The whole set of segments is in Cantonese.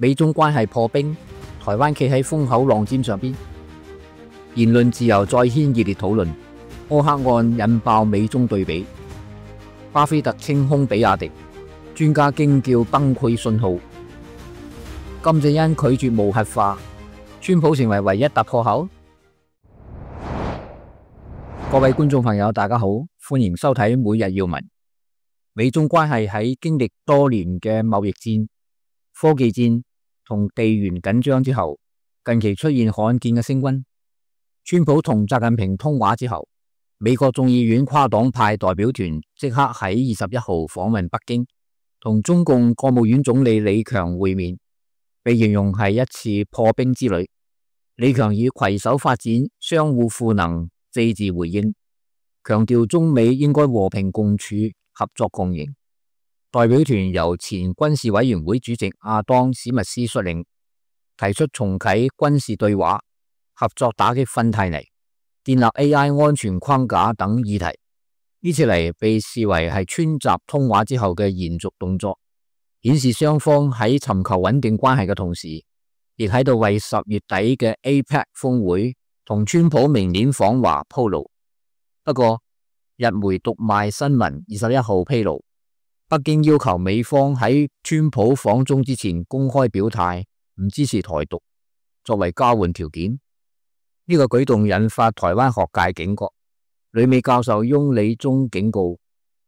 美中關係破冰，台灣企喺風口浪尖上邊，言論自由再掀熱烈討論。柯克案引爆美中對比，巴菲特清空比亞迪，專家驚叫崩潰信號。金正恩拒絕無核化，川普成為唯一突破口。各位觀眾朋友，大家好，歡迎收睇每日要聞。美中關係喺經歷多年嘅貿易戰、科技戰同地緣緊張之後，近期出現罕見嘅升溫。川普同習近平通話之後，美國眾議院跨黨派代表團即刻喺21號訪問北京，同中共國務院總理李強會面，被形容係一次破冰之旅。李強以攜手發展、相互賦能4字回應，強調中美應該和平共處、合作共贏。代表團由前軍事委員會主席亞當史密斯率領，提出重啟軍事對話、合作打擊芬太尼、建立 AI 安全框架等議題。呢次嚟被視為係川習通話之後嘅延續動作，顯示雙方喺尋求穩定關係嘅同時，亦喺度為10月底嘅 APEC 峰會同川普明年訪華鋪路。不過，日媒讀賣新聞21號披露，北京要求美方喺川普訪中之前公開表態，唔支持台獨，作為交換條件。呢個舉動引發台灣學界警覺，旅美教授翁理忠警告，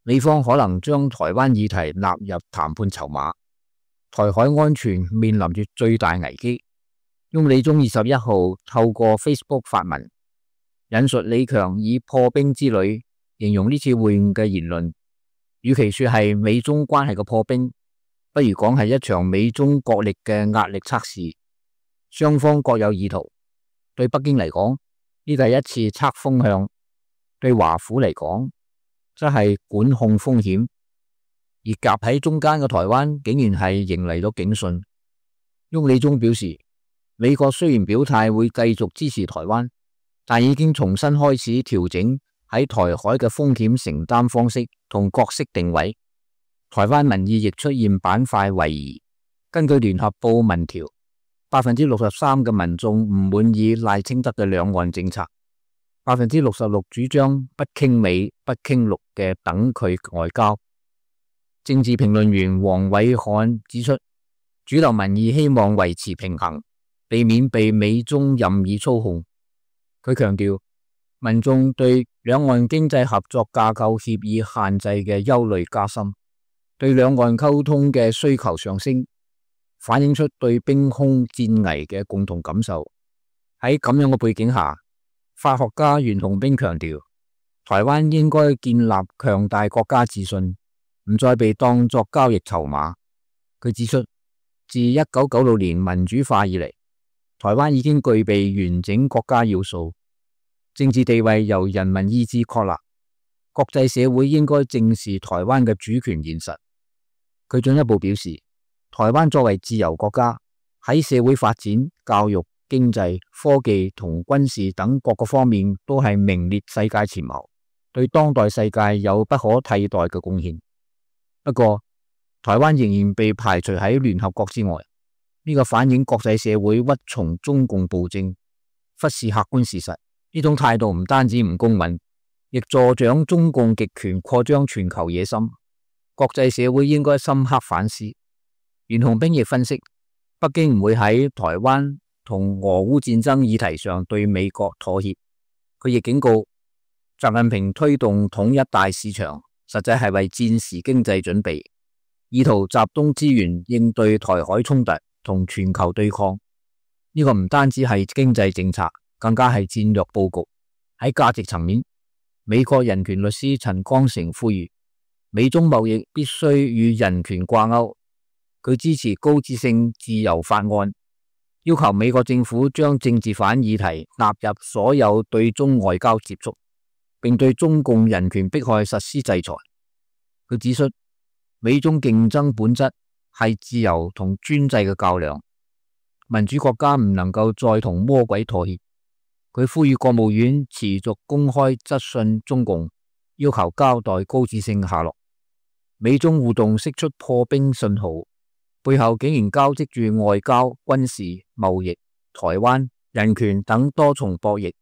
美方可能將台灣議題納入談判籌碼，台海安全面臨住最大危機。翁理忠21號透過 Facebook 發文，引述李強以破冰之旅形容呢次會晤嘅言論，與其說係美中關係嘅破冰，不如講係一場美中國力嘅壓力測試。雙方各有意圖，對北京嚟講，呢第一次測風向；對華府嚟講，則係管控風險。而夾喺中間嘅台灣竟然係迎嚟咗警訊。翁理忠表示，美國雖然表態會繼續支持台灣，但已經重新開始調整喺台海嘅風險承擔方式同角色定位。台灣民意亦出現板塊位移。根據聯合報民調，63% 嘅民眾唔滿意賴清德嘅兩岸政策，66% 主張不傾美不傾陸嘅等距外交。政治評論員黃偉漢指出，主流民意希望維持平衡，避免被美中任意操控。佢強調，民眾對兩岸經濟合作架構協議限制嘅憂慮加深，對兩岸溝通嘅需求上升，反映出對兵凶戰危嘅共同感受。喺咁樣嘅背景下，法學家袁弘彬強調，台灣應該建立強大國家自信，唔再被當作交易籌碼。佢指出，自1996年民主化以嚟，台灣已經具備完整國家要素，政治地位由人民意志確立，國際社會應該正視台灣嘅主權現實。佢進一步表示，台灣作為自由國家，喺社會發展、教育、經濟、科技同軍事等各個方面都係名列世界前茅，對當代世界有不可替代嘅貢獻。不過，台灣仍然被排除喺聯合國之外，呢個反映國際社會屈從中共暴政，忽視客觀事實。呢種態度唔單止唔公允，亦助長中共極權擴張全球野心。國際社會應該深刻反思。袁弘彬亦分析，北京唔會喺台灣同俄烏戰爭議題上對美國妥協。佢亦警告，習近平推動統一大市場，實際係為戰時經濟準備，意圖集中資源應對台海衝突同全球對抗。呢個唔單止係經濟政策，更加係戰略佈局。喺價值層面，美國人權律師陳光誠呼籲，美中貿易必須與人權掛鈎。佢支持高質性自由法案，要求美國政府將政治犯議題納入所有對中外交接觸，並對中共人權迫害實施制裁。佢指出，美中競爭本質係自由同專制嘅較量，民主國家唔能夠再同魔鬼妥協。佢呼籲國務院持續公開質詢中共，要求交代高質性下落。美中互動釋出破冰信號，背後竟然交織住外交、軍事、貿易、台灣、人權等多重博弈。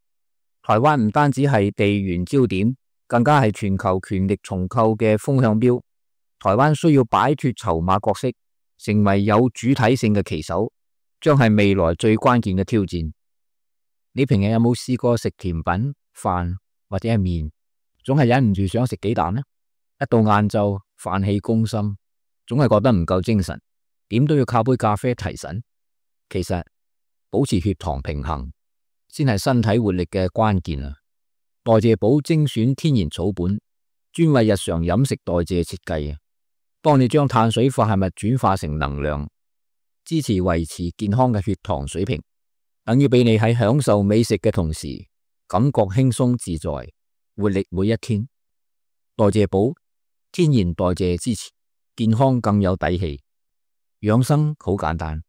台灣唔單止係地緣焦點，更加係全球權力重構嘅風向標。台灣需要擺脫籌碼角色，成為有主體性嘅棋手，將係未來最關鍵嘅挑戰。你平日有冇試過食甜品、飯或者係麵，總係忍唔住想食雞蛋呢？一到晏晝，飯氣攻心，總係覺得唔夠精神，點都要靠杯咖啡提神。其實保持血糖平衡先係身體活力嘅關鍵啊！代謝寶精選天然草本，專為日常飲食代謝設計，幫你將碳水化合物轉化成能量，支持維持健康嘅血糖水平，等於俾你喺享受美食嘅同時，感覺輕鬆自在，活力每一天。代謝寶天然代謝支持，健康更有底氣。養生好簡單，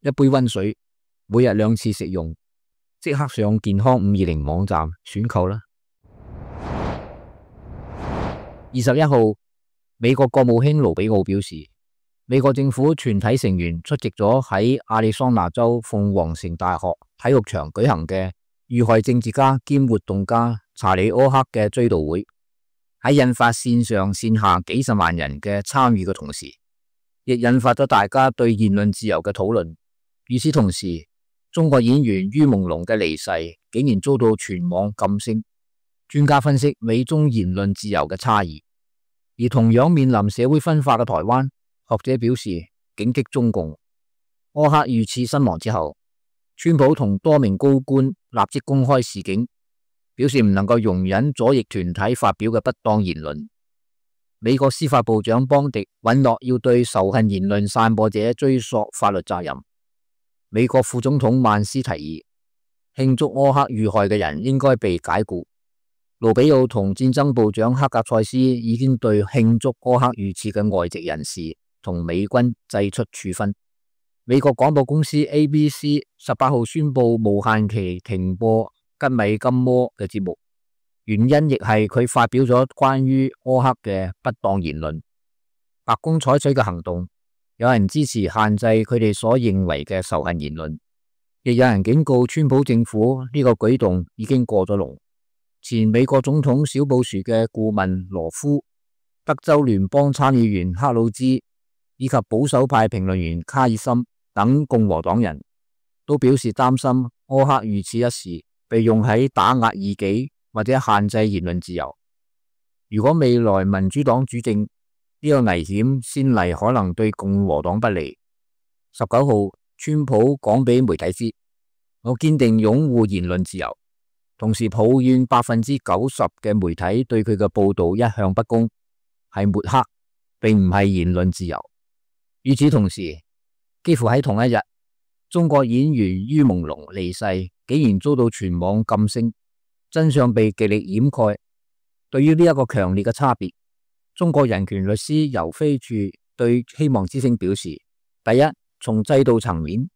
一杯溫水，每日2次食用，即刻上健康520網站選購啦。21號，美國國務卿盧比奧表示，美國政府全體成員出席咗喺亞利桑那州鳳凰城大學體育場舉行嘅遇害政治家兼活動家查理柯克嘅追悼會，喺引發線上線下幾十萬人嘅參與嘅同時，亦引發咗大家對言論自由嘅討論。與此同時，中國演員于朦朧嘅離世竟然遭到全網禁聲。專家分析美中言論自由嘅差異，而同樣面臨社會分化嘅台灣，學者表示警惕中共。柯克遇刺身亡之後，川普同多名高官立即公開示警，表示唔能夠容忍左翼團體發表嘅不當言論。美國司法部長邦迪允諾要對仇恨言論散播者追溯法律責任。美國副總統曼斯提議慶祝柯克遇害嘅人應該被解僱。盧比奧同戰爭部長克格塞斯已經對慶祝柯克遇刺嘅外籍人士同美軍祭出處分。美國廣播公司 ABC 18號宣布無限期停播吉米金摩嘅節目，原因亦係佢發表咗關於柯克嘅不當言論。白宮採取嘅行動，有人支持限制佢哋所認為嘅仇恨言論，亦有人警告川普政府呢個舉動已經過咗龍。前美國總統小布殊嘅顧問羅夫、德州聯邦參議員克魯茲以及保守派評論員卡爾森等共和黨人都表示擔心柯克遇刺一事被用喺打壓異己或者限制言論自由。如果未來民主黨主政，呢個危險先例可能對共和黨不利。19號，川普講俾媒體知，我堅定擁護言論自由，同時抱怨90%嘅媒體對佢嘅報道一向不公，係抹黑，並唔係言論自由。與此同時，幾乎喺同一日，中國演員于朦朧離世，竟然遭到全網禁聲，真相被極力掩蓋。對於呢一個強烈嘅差別，中國人權律師游飛處對希望之聲表示：第一，從制度層面，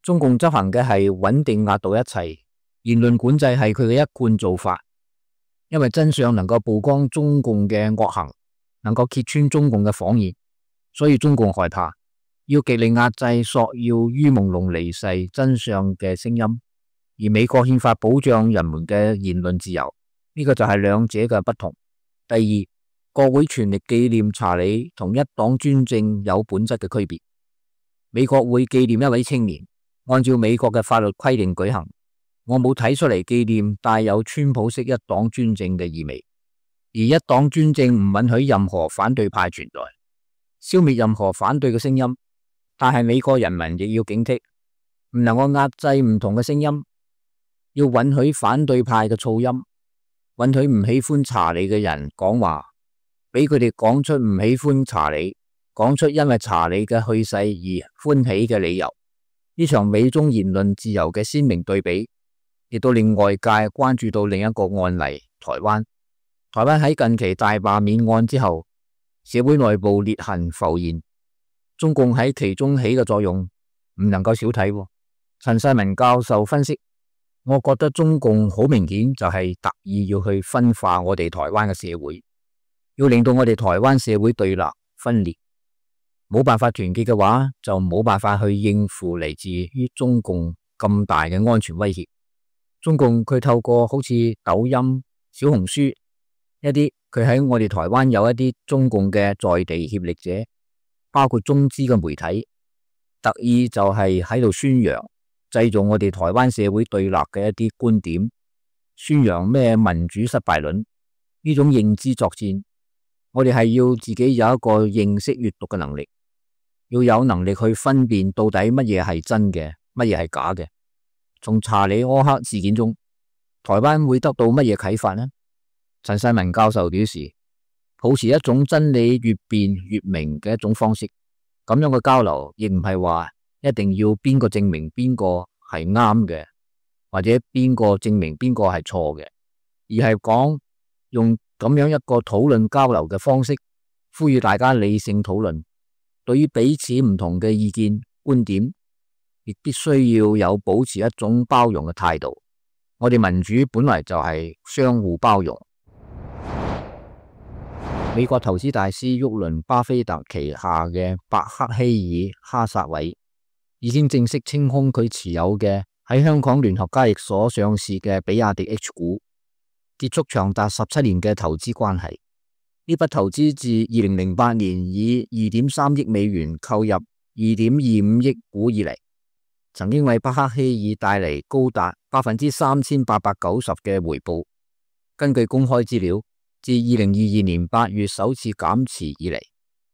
中共執行嘅係穩定壓倒一切，言論管制係佢嘅一貫做法，因為真相能夠曝光中共嘅惡行，能夠揭穿中共嘅謊言，所以中共害怕，要極力壓制索要于朦朧離世真相嘅聲音。而美國憲法保障人們嘅言論自由，呢個就係兩者嘅不同。第二，國會全力紀念查理同一黨專政有本質嘅區別。美國會紀念一位青年，按照美國嘅法律規定舉行。我冇睇出嚟紀念帶有川普式一黨專政嘅意味，而一黨專政唔允許任何反對派存在，消滅任何反對嘅聲音。但係美國人民亦要警惕，唔能夠壓制唔同嘅聲音，要允許反對派嘅噪音，允許唔喜歡查理嘅人講話，俾佢哋講出唔喜歡查理，講出因為查理嘅去世而歡喜嘅理由。呢場美中言論自由嘅鮮明對比，亦都令外界關注到另一個案例——台灣。台灣喺近期大罷免案之後，社會內部裂痕浮現，中共喺其中起嘅作用唔能夠小睇。陳世民教授分析，我覺得中共好明顯就係特意要去分化我哋台灣嘅社會，要令到我哋台灣社會對立分裂。冇辦法團結嘅話，就冇辦法去應付嚟自於中共咁大嘅安全威脅。中共佢透過好似抖音、小紅書一啲，佢喺我哋台灣有一啲中共嘅在地協力者，包括中資嘅媒體，特意就係喺度宣揚，製造我哋台灣社會對立嘅一啲觀點，宣揚咩民主失敗論，呢種認知作戰。我哋係要自己有一個認識閱讀嘅能力，要有能力去分辨到底乜嘢係真嘅，乜嘢係假嘅。從查理柯克事件中，台灣會得到乜嘢啟發呢？陳世文教授表示，保持一種真理越辯越明嘅一種方式，咁樣嘅交流亦唔係話一定要邊個證明邊個係啱嘅，或者邊個證明邊個係錯嘅，而係講用咁樣一個討論交流嘅方式，呼籲大家理性討論，對於彼此唔同嘅意見觀點，亦必須要有保持一種包容嘅態度。我哋民主本來就係相互包容。美國投資大師沃倫巴菲特旗下嘅伯克希爾哈撒韋已經正式清空佢持有嘅喺香港聯合交易所上市嘅比亞迪 H 股，結束長達17年嘅投資關係。呢筆投資自2008年以2.3億美元購入2.25億股以嚟，曾經為伯克希爾帶嚟高達3890%嘅回報。根據公開資料，自2022年8月首次減持以嚟，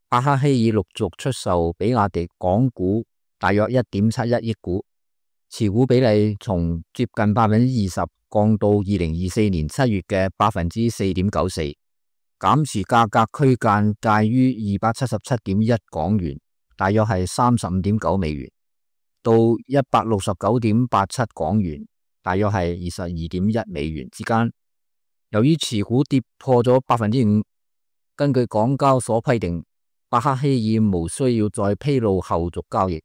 伯克希爾陸續出售比亞迪港股大約1.71億股，持股比例從接近20%降到2024年7月嘅4.94%，減持價格區間介於277.1港元，大約係35.9美元，到169.87港元，大約係22.1美元之間。由於持股跌破咗5%，根據港交所規定，伯克希爾無需要再披露後續交易，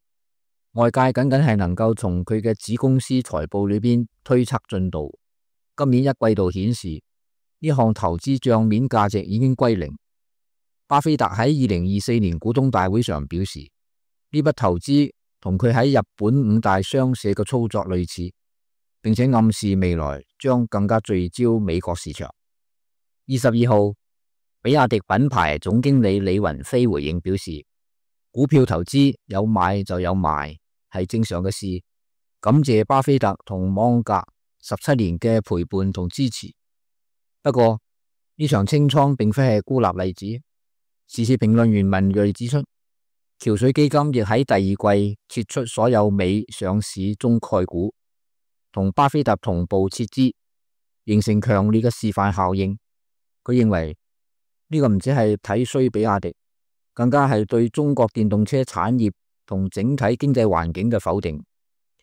外界僅僅係能夠從佢嘅子公司財報裏邊推測進度。今年一季度顯示，呢項投資賬面價值已經歸零。巴菲特喺2024年股東大會上表示，呢筆投資同佢喺日本5大商社嘅操作類似，並且暗示未來將更加聚焦美國市場。22號，比亞迪品牌總經理李雲飛回應表示，股票投資有買就有賣，係正常嘅事。感謝巴菲特同芒格17年嘅陪伴同支持。不過呢場清倉並非係孤立例子。時事評論員文銳指出，橋水基金亦喺第二季撤出所有美上市中概股，同巴菲特同步撤資，形成強烈嘅示範效應。佢認為呢個唔止係睇衰比亞迪，更加係對中國電動車產業同整體經濟環境嘅否定，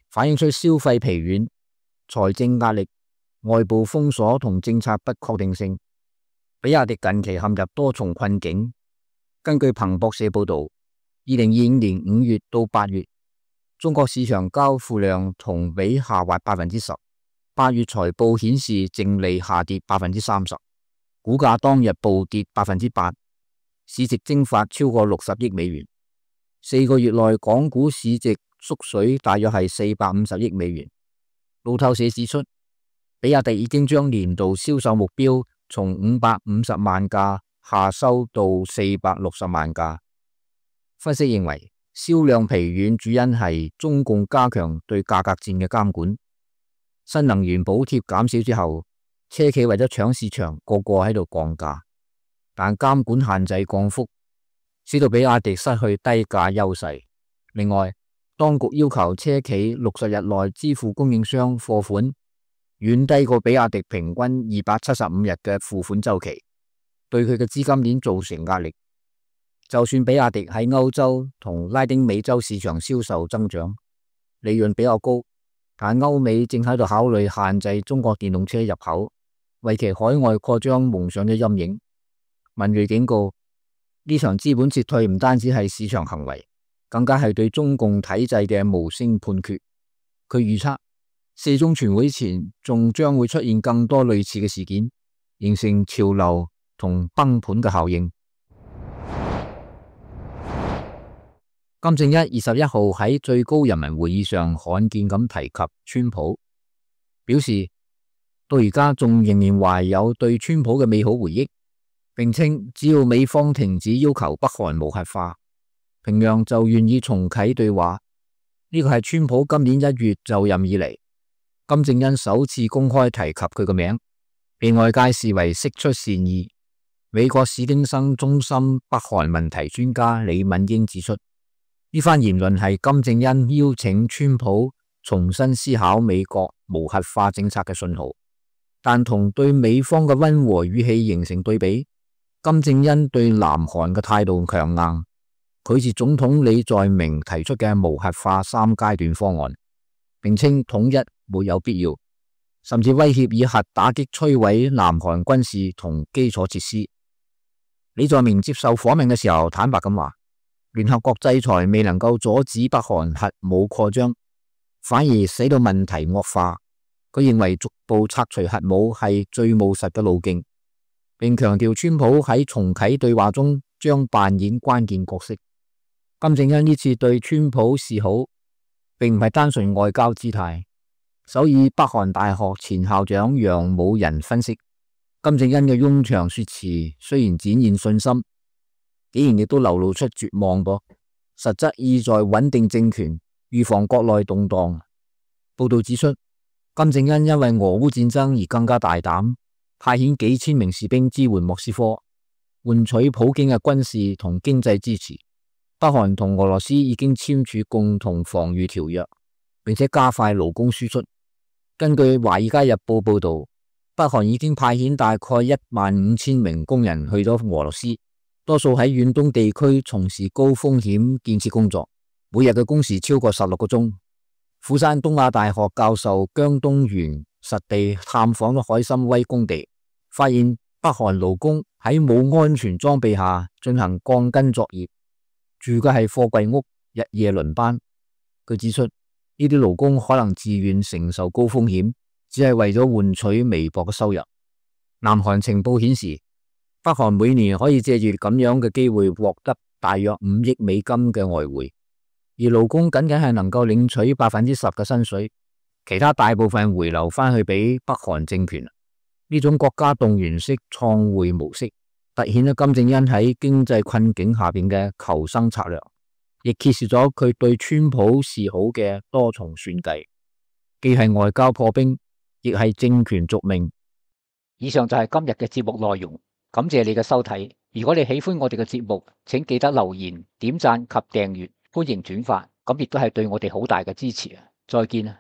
反映出消費疲軟、財政壓力、外部封鎖同政策不確定性。比亞迪近期陷入多重困境。根據彭博社報道，2025年5月到8月，中國市場交付量同比下滑10%。8月財報顯示淨利下跌30%，股價當日暴跌8%，市值蒸發超過60億美元。4個月內港股市值縮水大約係450億美元。路透社指出，比亞迪已經將年度銷售目標從550萬架下收到460萬架。分析認為，銷量疲軟主因係中共加強對價格戰嘅監管。新能源補貼減少之後，車企為咗搶市場，個個喺度降價，但監管限制降幅，使到比亞迪失去低價優勢。另外，當局要求車企60日內支付供應商貨款，遠低過比亞迪平均275日嘅付款週期，對佢嘅資金鏈造成壓力。就算比亞迪喺歐洲同拉丁美洲市場銷售增長，利潤比較高，但歐美正喺度考慮限制中國電動車入口，為其海外擴張蒙上咗陰影。文銳警告，呢場資本撤退唔單止係市場行為，更加係對中共體制嘅無聲判決。佢預測4中全會前仲將會出現更多類似嘅事件，形成潮流同崩盤嘅效應。金正恩21號喺最高人民會議上罕見咁提及川普，表示到而家仲仍然懷有對川普嘅美好回憶，並稱只要美方停止要求北韓無核化，平壤就願意重啟對話。呢個係川普今年1月就任以嚟，金正恩首次公開提及佢個名，被外界視為釋出善意。美國史丁生中心北韓問題專家李敏英指出，呢番言論係金正恩邀請川普重新思考美國無核化政策嘅信號，但同對美方嘅溫和語氣形成對比。金正恩對南韓嘅態度強硬，拒絕總統李在明提出嘅無核化3階段方案，並稱統一沒有必要，甚至威脅以核打擊摧毀南韓軍事同基礎設施。李在明接受訪問嘅時候坦白咁話，聯合國制裁未能夠阻止北韓核武擴張，反而使到問題惡化。佢認為逐步拆除核武係最務實嘅路徑，並強調川普喺重啟對話中將扮演關鍵角色。金正恩呢次對川普示好，並唔係單純外交姿態。首爾北韓大學前校長楊武仁分析，金正恩嘅冗長說辭雖然展現信心，竟然亦都流露出絕望噃，實質意在穩定政權，預防國內動盪。報道指出，金正恩因為俄烏戰爭而更加大膽，派遣幾千名士兵支援莫斯科，換取普京嘅軍事同經濟支持。北韓同俄羅斯已經簽署共同防禦條約，並且加快勞工輸出。根據《華爾街日報》報道，北韓已經派遣大概15000名工人去咗俄羅斯，多數喺遠東地區從事高風險建設工作，每日嘅工時超過16個鐘。釜山東亞大學教授姜東元實地探訪咗海參崴工地，發現北韓勞工喺冇安全裝備下進行鋼筋作業，住嘅係貨櫃屋，日夜輪班。佢指出，呢啲勞工可能自願承受高風險，只係為咗換取微薄嘅收入。南韓情報顯示，北韓每年可以借住咁樣嘅機會獲得大約5億美金嘅外匯，而勞工僅僅係能夠領取10%嘅薪水，其他大部分回流翻去俾北韓政權。呢種國家動員式創匯模式，凸顯咗金正恩喺經濟困境下邊嘅求生策略，亦揭示咗佢對川普示好嘅多重算計，既係外交破冰，亦係政權續命。以上就係今日嘅節目內容，感謝你嘅收睇。如果你喜歡我哋嘅節目，請記得留言、點讚及訂閱，歡迎轉發，咁亦都係對我哋好大嘅支持啊！再見啊！